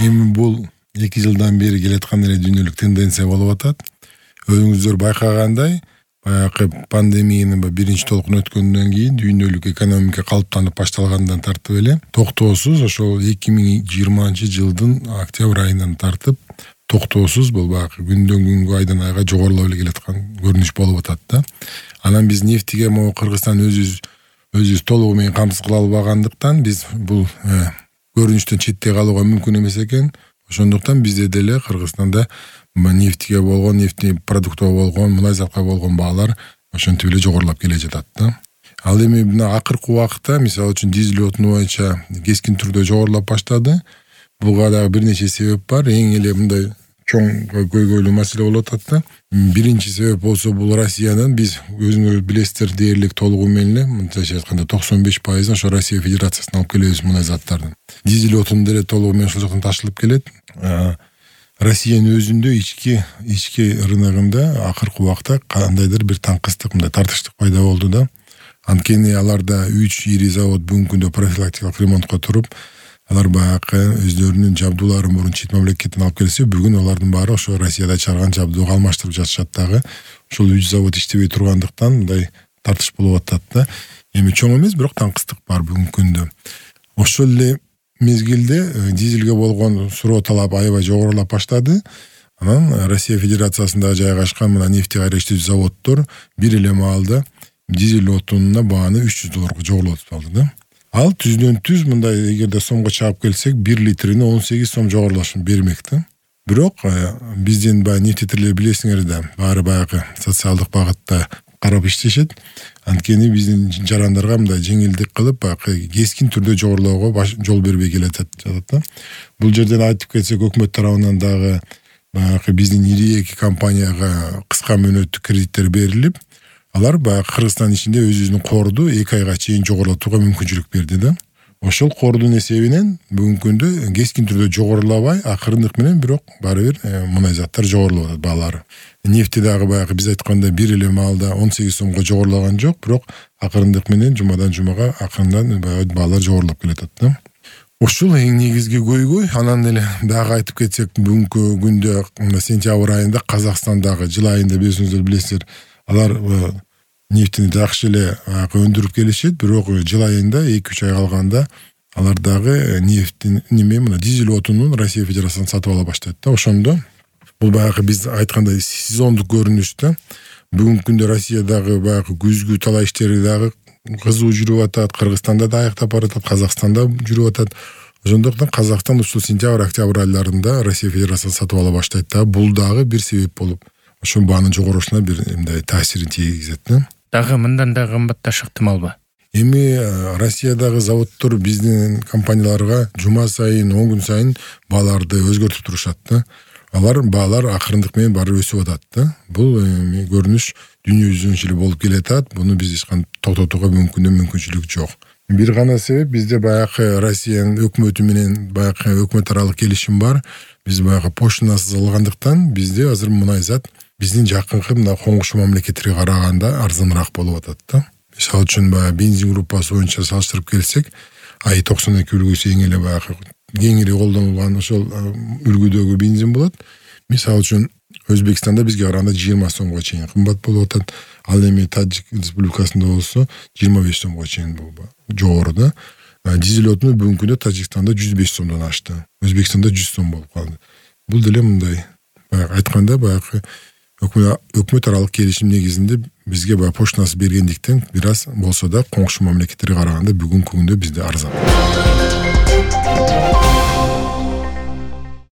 Эми бул 2 жылдан бери келаткан эле дүйнөлүк тенденция болуп атат. Өзүңүздөр байкагандай, баягы пандемиянын биринчи толкуну өткөндөн кийин дүйнөлүк экономика калыптанып башталгандан тартып эле токтоосуз ошол 2020-жылдын октябрь айынан тартып токтоосуз бул баягы күндөн күнгө айдан айга жогорулап эле келаткан көрүнүш болуп атат да. Анан биз нефтиге могу Кыргызстан өзүбүз толугу менен камсыз кыла албагандыктан биз бул көрүнүштөн четте калууга мүмкүн эмес экен. Ошондуктан бизде деле Кыргызстанда нефтиге болгон, нефтий продуктка болгон, мунай затка болгон баалар ошентип эле жогорулап келе жатат да. Ал эми мына акыркы убакытта мисалы үчүн дизель отуну боюнча кескин түрдө жогорулап баштады. Буга дагы бир нече себеп бар. Эң эле мындай чоң көйгөйлүү маселе болуп атат да. Биринчи себеп болсо бул Россиянын, биз өзүңөр билесиздер, дээрлик толугу менен эле мындайча айтканда 95% ошо Россия Федерациясынан алып келебиз мунай заттарды. Дизель отун деле толугу менен ошол жактан ташылып келет. Россиянын өзүндө ички рыногунда акыркы убакта кандайдыр бир таңкыстык, мындай тартыштык пайда болду да. Анткени аларда 3 ири завод бүгүнкү күндө профилактикалык ремонтко туруп, алар баягы өздөрүнүн жабдууларын мурун чет мамлекеттен алып келсе, бүгүн алардын баары ошо Россияда чыгарган жабдууга алмаштырып жатышат дагы. Ошол 3 завод иштебей тургандыктан мындай тартыш болуп атат да. Эми чоң эмес, бирок таңкыстык бар бүгүнкү күндө. Ошол эле мезгилде дизелге болгон суроо талап аябай жогорулап баштады. Анан Россия Федерациясында жайгашкан мына нефти кайра иштөөчү заводдор бир эле маалда дизель отунуна бааны $300 жогорулатып алды да. Ал түздөн түз мындай эгерде сомго чаап келсек 1 литрине 18 сом жогорулашын бермек да. Бирок биздин баягы нефтетирлер билесиңер да, баары баягы социалдык багытта карап иштешет. Анткени биздин жарандарга мындай жеңилдик кылып, баягы кескин түрдө жогорулоого жол бербей келатат да. Бул жерден айтып кетсек, өкмөт тарабынан дагы баягы биздин ири эки компанияга кыска мөөнөттүк кредиттер берилип, алар баягы Кыргызстан ичинде өзүнүн корду 2 айга чейин жогорулатууга мүмкүнчүлүк берди да. Ошол кордун эсебинен бүгүнкү күндө кескин түрдө жогорулабай, акырындык менен бирок баары бир мунай заттар жогорулап атат баалары. Нефти дагы баягы биз айткандай бир эле маалда 18 сомго жогорулаган жок, бирок акырындык менен жумадан жумага акырындан баалар жогорулап келатат да. Ушул эң негизги көйгөй. Анан эле дагы айтып кетсек, бүгүнкү күндө сентябрь айында Казакстандагы жыл айында билесиздер, алар нефтини жакшы эле өндүрүп келишет, бирок жыл айында 2-3 ай калганда алар дагы нефтин мына дизель отунун Россия Федерациясынан сатып ала баштайт да. Ошондо бул баягы биз айткандай сезондук көрүнүш да. Бүгүнкү күндө Россиядагы баягы күзгү талаа иштери дагы кызуу жүрүп атат, Кыргызстанда да аяктап баратат, Казакстанда жүрүп атат. Ошондуктан Казакстан ушул сентябрь-октябрь айларында Россия Федерациясынан сатып ала баштайт да. Бул дагы бир себеп болуп, ошо баанын жогорушуна бир мындай таасирин тийгизет да. Дагы мындан да кымбатташы ыктымалбы? Эми Россиядагы заводдор биздин компанияларга жума сайын, 10 күн сайын бааларды өзгөртүп турушат да. Баалар акырындык менен баары өсүп атат да. Бул көрүнүш дүйнө жүзүнчө эле болуп келатат. Буну биз эч кандай токтотууга мүмкүнчүлүк жок. Бир гана себеп, бизде баягы Россиянын өкмөтү менен баягы өкмөт аралык келишим бар. Биз баягы поштанасыз алгандыктан бизде азыр мунай зат биздин жакынкы мына коңшу мамлекеттерге караганда арзаныраак болуп атат да. Мисалы үчүн баягы бензин группасы боюнча салыштырып келсек, АИ-92 үлгүсү эң эле баягы кеңири колдонулган ошол үлгүдөгү бензин болот. Мисалы үчүн Өзбекстанда бизге караганда 20 сомго чейин кымбат болуп атат. Ал эми Тажик Республикасында болсо 25 сомго чейин жогору да. Дизель отуну бүгүнкү күндө Тажикстанда 105 сомдон ашты. Өзбекстанда 100 сом болуп калды. Бул деле мындай айтканда баягы өкмөт аралык келишим негизинде бизге баягы поштанасы бергендиктен бир аз болсо да коңшу мамлекеттерге караганда бүгүнкү күндө бизде арзан.